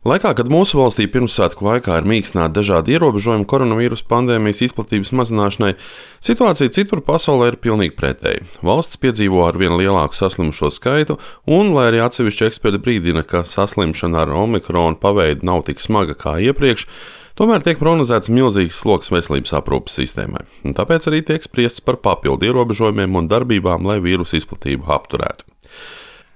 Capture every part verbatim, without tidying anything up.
Laikā, kad mūsu valstī pirmssvētku laikā ir mīkstināti dažādi ierobežojumi koronavīrusa pandēmijas izplatības mazināšanai, situācija citur pasaulē ir pilnīgi pretēji. Valsts piedzīvo ar vien lielāku saslimušo skaitu, un, lai arī atsevišķi eksperti brīdina, ka saslimšana ar omikronu paveidu nav tik smaga kā iepriekš, tomēr tiek prognozēts milzīgs sloks veselības aprūpes sistēmai. Un tāpēc arī tiek spriests par papildu ierobežojumiem un darbībām, lai vīrusu izplatību apturētu.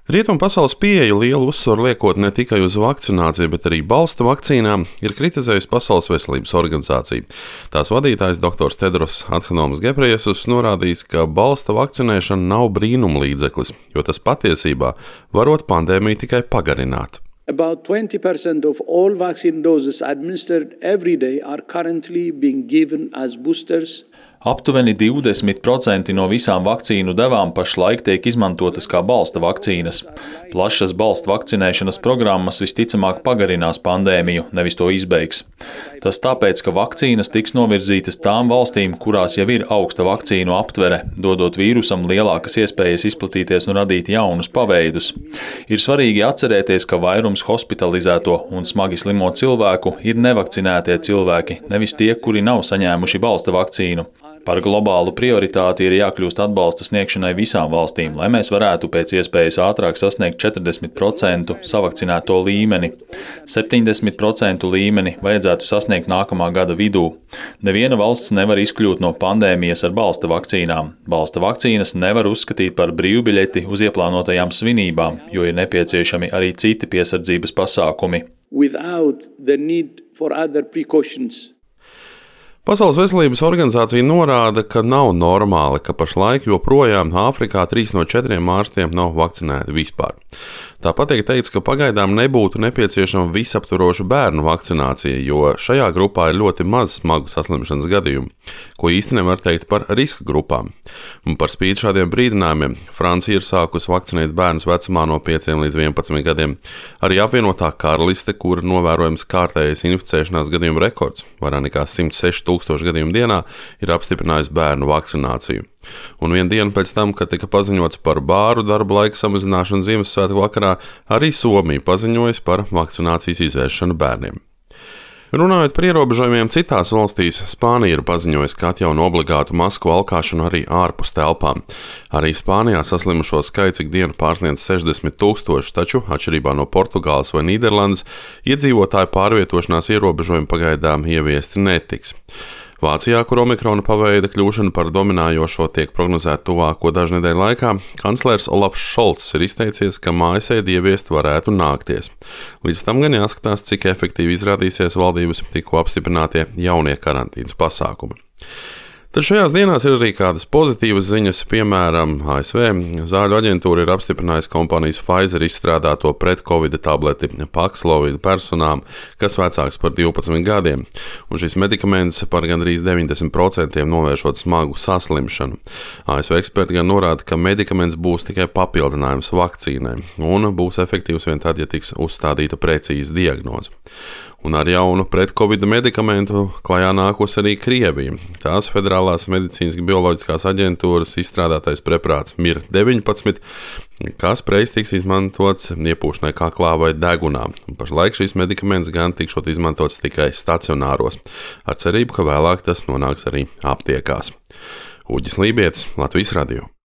Rietumu pasaules pieeja lielu uzsvaru liekot ne tikai uz vakcināciju, bet arī balsta vakcīnām, ir kritizējusi Pasaules veselības organizācija. Tās vadītājs doktors Tedros Adhanoms Ghebreyesus norādījis, ka balsta vakcinēšana nav brīnuma līdzeklis, jo tas patiesībā varot pandēmiju tikai pagarināt. About twenty percent of all vaccine doses administered every day are currently being given as boosters. Aptuveni divdesmit procenti no visām vakcīnu devām pašlaik tiek izmantotas kā balsta vakcīnas. Plašas balsta vakcinēšanas programmas visticamāk pagarinās pandēmiju, nevis to izbeigs. Tas tāpēc, ka vakcīnas tiks novirzītas tām valstīm, kurās jau ir augsta vakcīnu aptvere, dodot vīrusam lielākas iespējas izplatīties un radīt jaunus paveidus. Ir svarīgi atcerēties, ka vairums hospitalizēto un smagi slimo cilvēku ir nevakcinētie cilvēki, nevis tie, kuri nav saņēmuši balsta vakcīnu. Par globālu prioritāti ir jākļūst atbalsta sniegšanai visām valstīm, lai mēs varētu pēc iespējas ātrāk sasniegt četrdesmit procentu savakcinēto līmeni. septiņdesmit procentu līmeni vajadzētu sasniegt nākamā gada vidū. Neviena valsts nevar izkļūt no pandēmijas ar balsta vakcīnām. Balsta vakcīnas nevar uzskatīt par brīvbiļeti uz ieplānotajām svinībām, jo ir nepieciešami arī citi piesardzības pasākumi. Without the need for other precautions. Pasaules veselības organizācija norāda, ka nav normāli, ka pašlaik joprojām Āfrikā trīs no četriem ārstiem nav vakcinēti vispār. Tāpat tiek teikts, ka pagaidām nebūtu nepieciešama visaptvaroša bērnu vakcinācija, jo šajā grupā ir ļoti maz smagu saslimšanas gadījumu, ko īsti nevar teikt par riska grupām. Un par spīti šādiem brīdinājumiem Francija ir sākusi vakcinēt bērnus vecumā no pieciem līdz vienpadsmit gadiem. Arī apvienotā karaliste, kur novērojams kārtējais inficēšanās gadījumu rekords, vairāk nekā simt seši tūkstoši gadījumu dienā, ir apstiprinājusi bērnu vakcināciju. Un vienu dienu pēc tam, kad tika paziņots par bāru darba laika samazināšanu Ziemassvētku vakarā, arī Somija paziņojas par vakcinācijas izvēršanu bērniem. Runājot par ierobežojumiem citās valstīs, Spānija ir paziņojusi, ka atjauno obligātu masku valkāšanu arī ārpus telpām. Arī Spānijā saslimušo skaits ik dienu pārsniedz sešdesmit tūkstoši, taču, atšķirībā no Portugāles vai Nīderlandes, iedzīvotāju pārvietošanās ierobežojumi pagaidām ieviesti netiks. Vācijā, kur omikrona paveida kļūšana par dominējošo tiek prognozēta tuvāko dažu nedēļu laikā, kanclers Olafs Šolts ir izteicies, ka mājasēdi ieviest varētu nākties. Līdz tam gan jāskatās, cik efektīvi izrādīsies valdības tikko apstiprinātie jaunie karantīnas pasākumi. Tad šajās dienās ir arī kādas pozitīvas ziņas, piemēram, A S V zāļu aģentūra ir apstiprinājusi kompānijas Pfizer izstrādāto pret-Covid tableti Paxlovid personām, kas vecāks par divpadsmit gadiem, un šis medikaments par gandrīz deviņdesmit procentiem novēršot smagu saslimšanu. A S V eksperti gan norāda, ka medikaments būs tikai papildinājums vakcīnai, un būs efektīvs vien tad, ja tiks uzstādīta precīza diagnoze. Un ar jaunu pret-Covid medikamentu klajā nākos arī Krievija. Tās Federālās medicīnas bioloģiskās aģentūras izstrādātais preparāts Mir deviņpadsmit, kas reiz tiks izmantots iepūšanai kaklā vai degunā. Un pašlaik šis medikaments gan tikšot izmantots tikai stacionāros, ar cerību, ka vēlāk tas nonāks arī aptiekās. Uģis Lībietis, Latvijas radio.